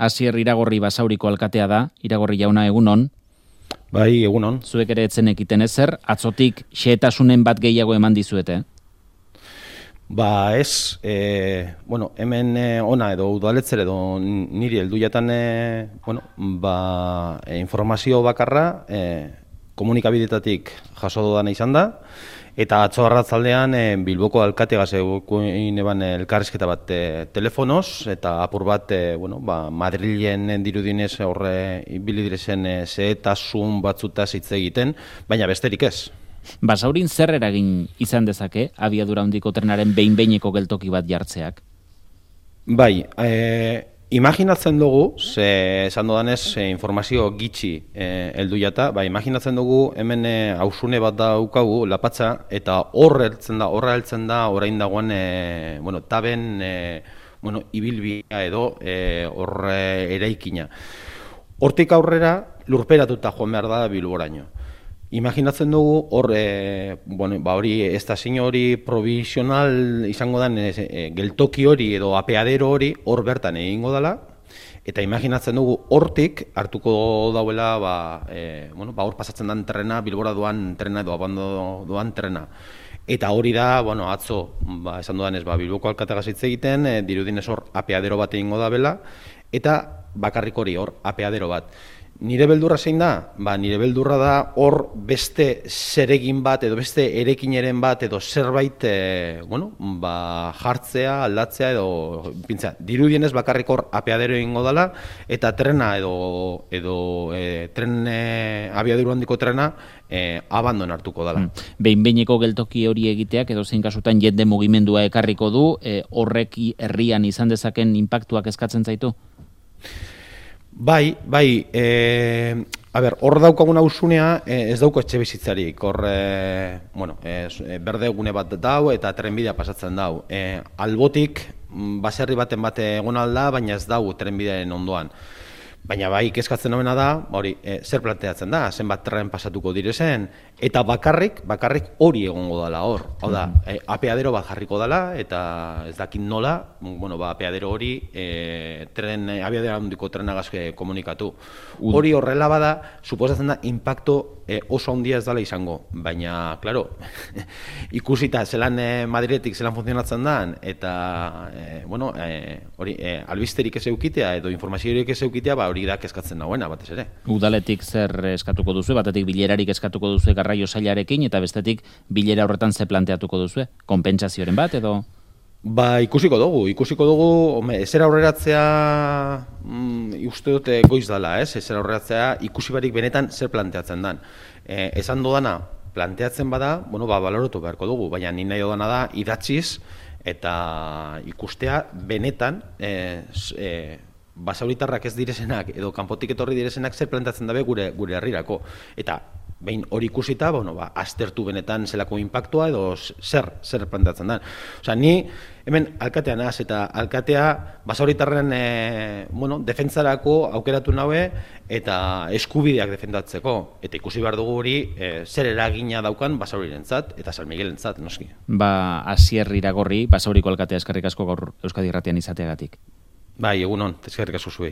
Asier Iragorri Basauriko alkatea da. Iragorri jauna, egunon. Bai, egunon. Zuek ere etzen ekiten ezer, atzotik xehetasunen bat gehiago eman dizuete? Ba ez, hemen ona edo udaletzer edo niri heldu jatan informazio bakarra komunikabidetatik jaso dudana izan da, eta atzo arratzaldean Bilboko alkategaz eguin eban elkarrizketa bat telefonoz, eta apur bat Madrilen dirudinez horre ibili direzen zehetasun batzutaz hitz egiten, baina besterik ez. Basaurin zer eragin izan dezake abiadura handiko trenaren behin-behineko geltoki bat jartzeak? Bai, imaginatzen dugu, esan dodanez informazio gitxi heldu jata, imaginatzen dugu hemen hausune bat daukagu, Lapatza, eta horra heltzen da orain dagoen taben ibilbidea edo horre eraikina. Hortik aurrera lurperatuta joan behar da Bilboraino. Imaginatzen dugu hori estazio hori provisional izango den geltoki hori edo apeadero hori hor bertan egingo dela, eta imaginatzen dugu hortik hartuko dauela hor pasatzen den trena, Bilbora doan trena edo abando doan trena. Eta hori da, atzo, esan dudanez, Bilboko alkategaz hitz egiten, dirudinez hor apeadero bat egingo da bela, eta bakarrik hori hor apeadero bat. Nire beldurra zein da? Nire beldurra da hor beste zeregin bat edo beste erekineren bat edo zerbait jartzea, aldatzea edo pintzea. Dirudienez bakarrik hor apeadero egingo dela eta trena edo tren abiaduru handiko trena abandon hartuko dela. Behin-behineko geltoki hori egiteak edo zein kasutan jende mugimendua ekarriko du, horrek herrian izan dezaken inpaktuak eskatzen zaitu? Bai, hor daukagun hausunea ez dauko etxe bizitzarik, hor berde gune bat dau eta trenbidea pasatzen dau. Albotik, baserri baten bat egon alda, baina ez dau trenbidearen ondoan. Baina kezkatzen nomena da, zer planteatzen da, zenbat tren pasatuko direzen, eta bakarrik hori egongo dela hor. Hau da, apeadero bat jarriko dela, eta ez dakit nola, apeadero hori abiadero handiko trenagaz komunikatu. Hori horrela bada, suposatzen da, impacto oso handia ez dela izango. Baina, klaro, ikusita zelan Madriletik zelan funtzionatzen den, eta albisterik ez eukitea edo informaziorik ez eukitea, hori da kezkatzen dagoena, batez ere. Udaletik zer eskatuko duzu, batetik bilerarik eskatuko duzu garraio sailarekin, eta bestetik bilera horretan ze planteatuko duzu, konpentsazioren bat edo? Ikusiko dugu, ezer aurreratzea uste dute goiz dela, ezer aurreratzea ikusi barik benetan zer planteatzen den. Esan dodana, planteatzen bada, baloratu beharko dugu, baina ni nahi dodana da idatziz eta ikustea benetan basauritarrak ez direzenak edo kanpotik etorri direzenak zer planteatzen dabe gure herrirako. Eta behin hori ikusita, aztertu benetan zelako inpaktua edo zer planteatzen da. Osea, ni hemen alkatea naz eta alkatea basauritarren defentsarako aukeratu naue eta eskubideak defendatzeko. Eta ikusi behar dugu hori zer eragina daukan basaurirentzat eta San Miguelentzat, noski. Asier Iragorri, Basauriko alkatea, eskerrik asko gaur Euskadi Irratian izateagatik. Egunon, eskerrik asko zuei.